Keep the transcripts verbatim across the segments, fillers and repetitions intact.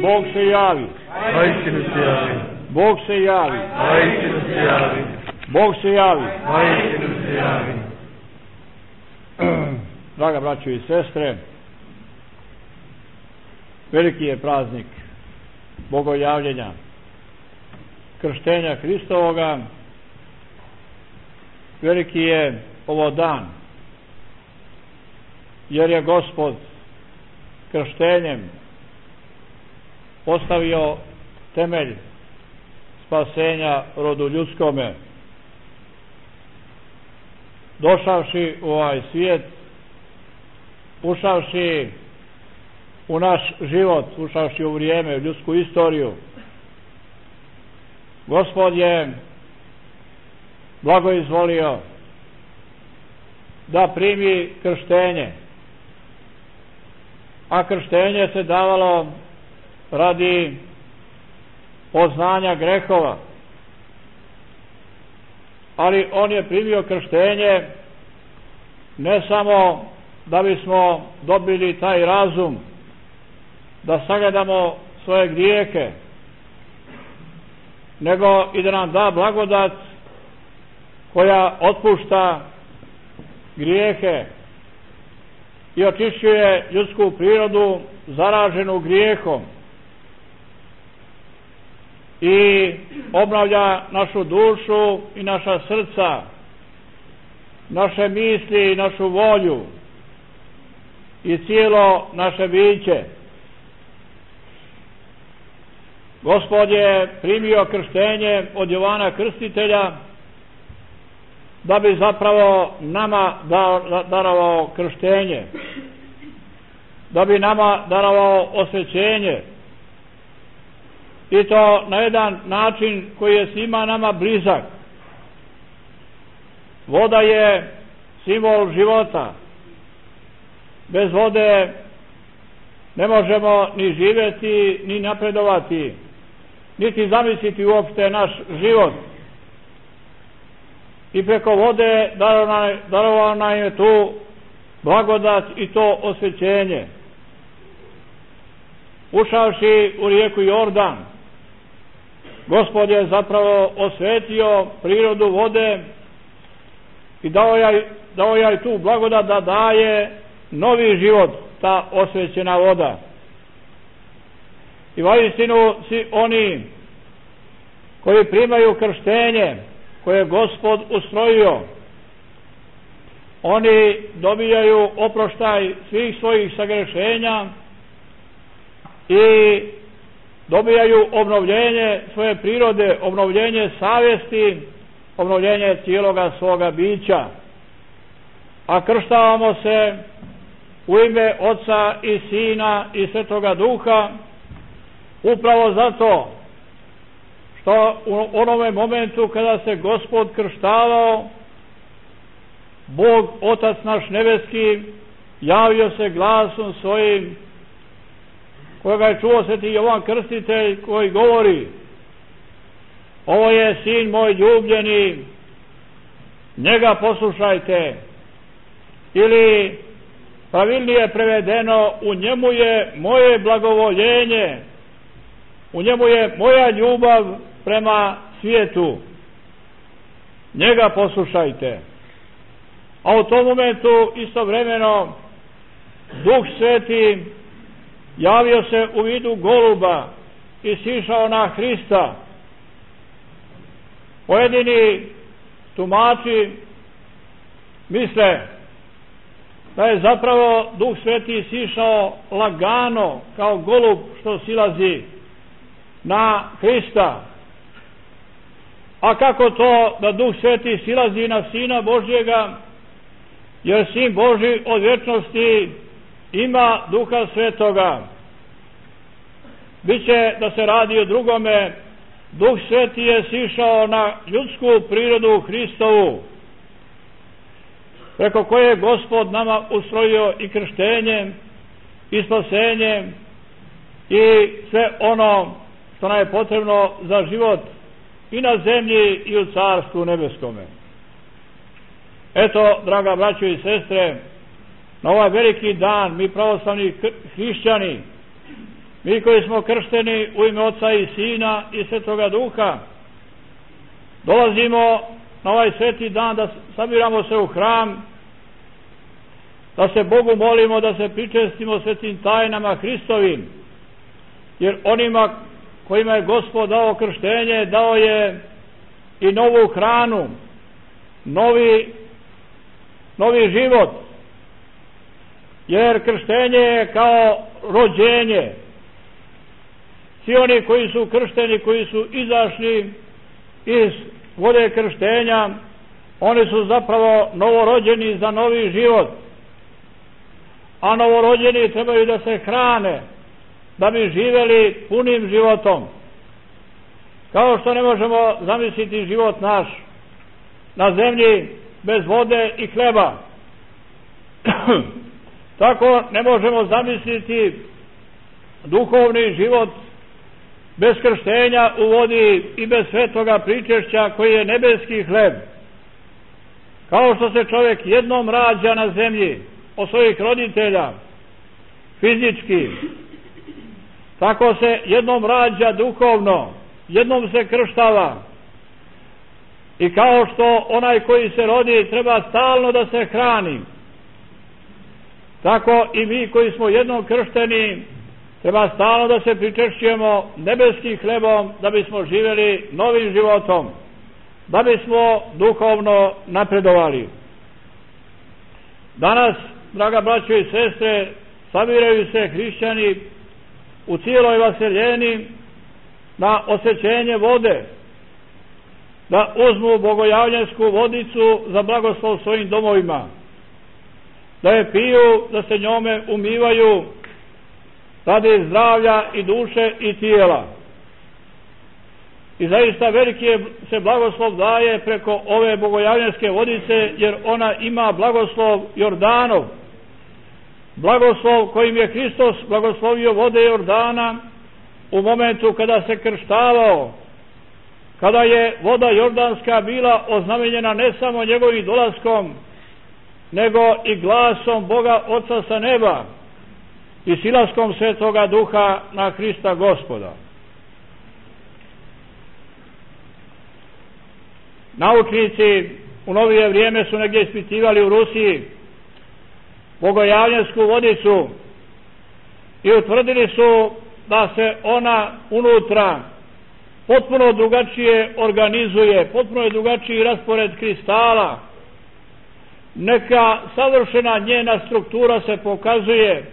Bog se javi. Vaistinu se javi. Bog se javi. Vaistinu se javi. Bog se javi. Vaistinu se javi. Draga braćo i sestre, veliki je praznik Bogojavljenja, krštenja Hristovoga. Veliki je ovo dan, jer je Gospod krštenjem postavio temelj spasenja rodu ljudskome. Došavši u ovaj svijet, ušavši u naš život, ušavši u vrijeme, u ljudsku istoriju, Gospod je blagoizvolio da primi krštenje, a krštenje se davalo radi poznanja grehova, ali on je primio krštenje ne samo da bismo dobili taj razum da sagledamo svoje grijehe, nego i da nam da blagodat koja otpušta grijehe i očišćuje ljudsku prirodu zaraženu grijehom i obnavlja našu dušu i naša srca, naše misli i našu volju i cijelo naše biće. Gospod je primio krštenje od Jovana Krstitelja da bi zapravo nama darovao krštenje, da bi nama darovao osvećenje, i to na jedan način koji je svima nama blizak. Voda je simbol života. Bez vode ne možemo ni živjeti, ni napredovati, niti zamisliti uopšte naš život. I preko vode darovao nam je tu blagodat i to osvećenje. Ušavši u rijeku Jordan, Gospod je zapravo osvetio prirodu vode i dao je, dao je tu blagodat da daje novi život, ta osvećena voda. I vaistinu svi oni koji primaju krštenje koje je Gospod ustrojio, oni dobijaju oproštaj svih svojih sagrešenja i dobijaju obnovljenje svoje prirode, obnovljenje savjesti, obnovljenje cijeloga svoga bića. A krštavamo se u ime Oca i Sina i Svetoga Duha upravo zato što u onome momentu kada se Gospod krštavao, Bog Otac naš nebeski javio se glasom svojim, kojega je čuo sveti Jovan Krstitelj, koji govori: ovo je sin moj ljubljeni, njega poslušajte. Ili pravilnije prevedeno, u njemu je moje blagovoljenje, u njemu je moja ljubav prema svijetu, njega poslušajte. A u tom momentu istovremeno Duh Sveti javio se u vidu goluba i sišao na Hrista. Pojedini tumači misle da je zapravo Duh Sveti sišao lagano kao golub što silazi na Hrista. A kako to da Duh Sveti silazi na Sina Božjega? Jer Sin Božji od vječnosti ima Duha Svetoga. Biće da se radi o drugome. Duh Sveti je sišao na ljudsku prirodu Hristovu, preko koje je Gospod nama ustrojio i krštenjem i spasenjem i sve ono što nam je potrebno za život i na zemlji i u Carstvu nebeskome. Eto, draga braćo i sestre, na ovaj veliki dan mi pravoslavni hrišćani mi koji smo kršteni u ime Oca i Sina i Svetoga Duha, dolazimo na ovaj sveti dan da sabiramo se u hram, da se Bogu molimo, da se pričestimo svetim tajnama Hristovim, jer onima kojima je Gospod dao krštenje, dao je i novu hranu, novi, novi život, jer krštenje je kao rođenje. Svi oni koji su kršteni, koji su izašli iz vode krštenja, oni su zapravo novorođeni za novi život, a novorođeni trebaju da se hrane da bi živjeli punim životom. Kao što ne možemo zamisliti život naš na zemlji bez vode i hleba, tako ne možemo zamisliti duhovni život bez krštenja u vodi i bez svetoga pričešća koji je nebeski hleb. Kao što se čovjek jednom rađa na zemlji od svojih roditelja fizički, tako se jednom rađa duhovno, jednom se krštava. I kao što onaj koji se rodi treba stalno da se hrani, tako i mi koji smo jednom kršteni treba stalno da se pričešćujemo nebeskim hlebom da bismo živjeli novim životom, da bismo duhovno napredovali. Danas, draga braćo i sestre, sabiraju se hrišćani u cijeloj vaseljeni na osvećenje vode, da uzmu bogojavljansku vodicu za blagoslov svojim domovima, da je piju, da se njome umivaju radi zdravlja i duše i tijela. I zaista veliki je se blagoslov daje preko ove bogojavljanske vodice, jer ona ima blagoslov Jordanov, blagoslov kojim je Hristos blagoslovio vode Jordana u momentu kada se krštavao, kada je voda Jordanska bila oznamenjena ne samo njegovim dolaskom, nego i glasom Boga Oca sa neba i silaskom Svetoga Duha na Hrista Gospoda. Naučnici u novije vrijeme su negdje ispitivali u Rusiji bogojavljansku vodicu i utvrdili su da se ona unutra potpuno drugačije organizuje, potpuno je drugačiji raspored kristala, neka savršena njena struktura se pokazuje.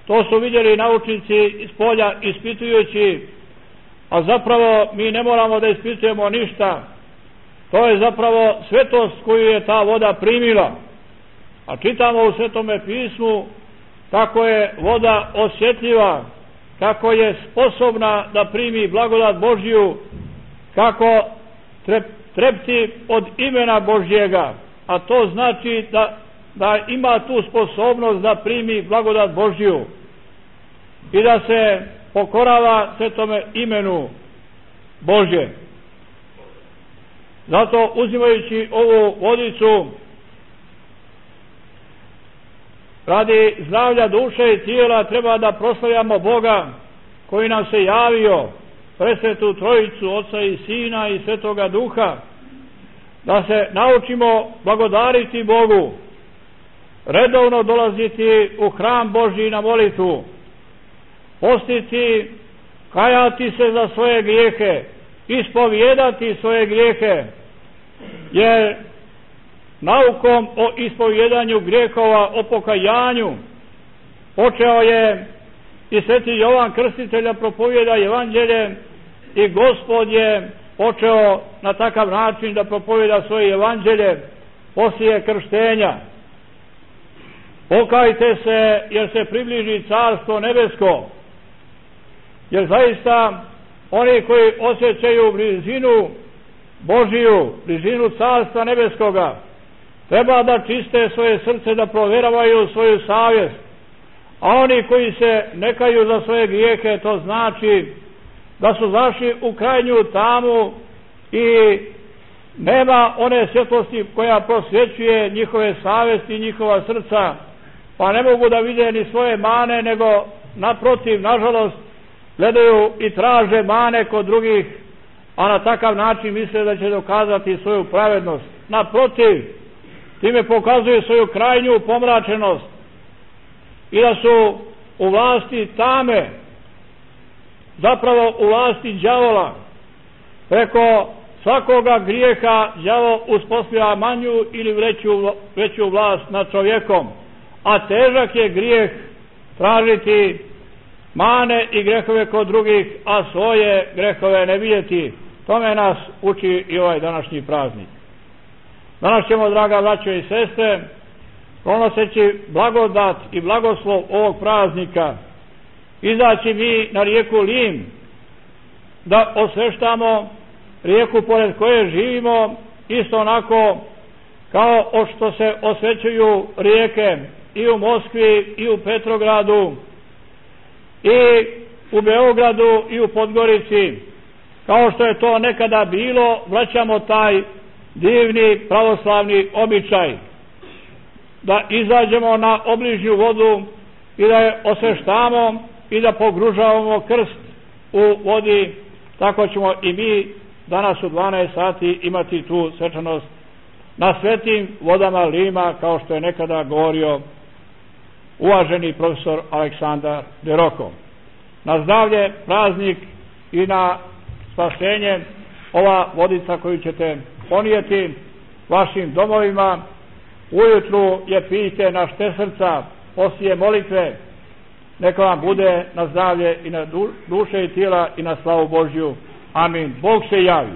To su vidjeli naučnici iz polja ispitujući, a zapravo mi ne moramo da ispitujemo ništa. To je zapravo svetost koju je ta voda primila. A čitamo u Svetome pismu kako je voda osjetljiva, kako je sposobna da primi blagodat Božju, kako trepti od imena Božjega, a to znači da, da ima tu sposobnost da primi blagodat Božju i da se pokorava Svetome imenu Božje. Zato, uzimajući ovu vodicu radi zdravlja duše i tijela, treba da proslavljamo Boga koji nam se javio, presvetu Trojicu, Oca i Sina i Svetoga Duha, da se naučimo blagodariti Bogu, redovno dolaziti u hram Božji na molitvu, postiti, kajati se za svoje grijehe, ispovijedati svoje grijehe, jer naukom o ispovjedanju grijehova, o pokajanju, počeo je i sveti Jovan Krstitelj da propovjeda evanđelje i Gospod je počeo na takav način da propovjeda svoje evanđelje poslije krštenja. Pokajte se, jer se približi carstvo nebesko, jer zaista oni koji osjećaju blizinu Božiju, blizinu carstva nebeskoga, treba da čiste svoje srce, da provjeravaju svoju savjest. A oni koji se ne kaju za svoje grijehe, to znači da su zašli u krajnju tamu i nema one svjetlosti koja prosvjećuje njihove savjesti i njihova srca, pa ne mogu da vide ni svoje mane, nego naprotiv, nažalost, gledaju i traže mane kod drugih, a na takav način misle da će dokazati svoju pravednost. Naprotiv, time pokazuju svoju krajnju pomračenost i da su u vlasti tame, zapravo u vlasti đavola. Preko svakoga grijeha đavo uspostavlja manju ili veću, veću vlast nad čovjekom, a težak je grijeh tražiti mane i grehove kod drugih, a svoje grehove ne vidjeti. Tome nas uči i ovaj današnji praznik. Danas ćemo, draga braćo i sestre, pronoseći blagodat i blagoslov ovog praznika, izaći mi na rijeku Lim, da osveštamo rijeku pored koje živimo, isto onako kao što se osvećuju rijeke i u Moskvi i u Petrogradu i u Beogradu i u Podgorici, kao što je to nekada bilo. Vraćamo taj divni pravoslavni običaj da izađemo na obližnju vodu i da je osveštamo i da pogružavamo krst u vodi. Tako ćemo i mi danas u dvanaest sati imati tu svečanost na svetim vodama Lima, kao što je nekada govorio uvaženi profesor Aleksandar de Roko. Na zdravlje, praznik i na spasenje ova vodica koju ćete ponijeti vašim domovima. Ujutru je pijte na šte srca, poslije molitve, neka vam bude na zdravlje i na duše i tijela i na slavu Božju. Amin. Bog se javi.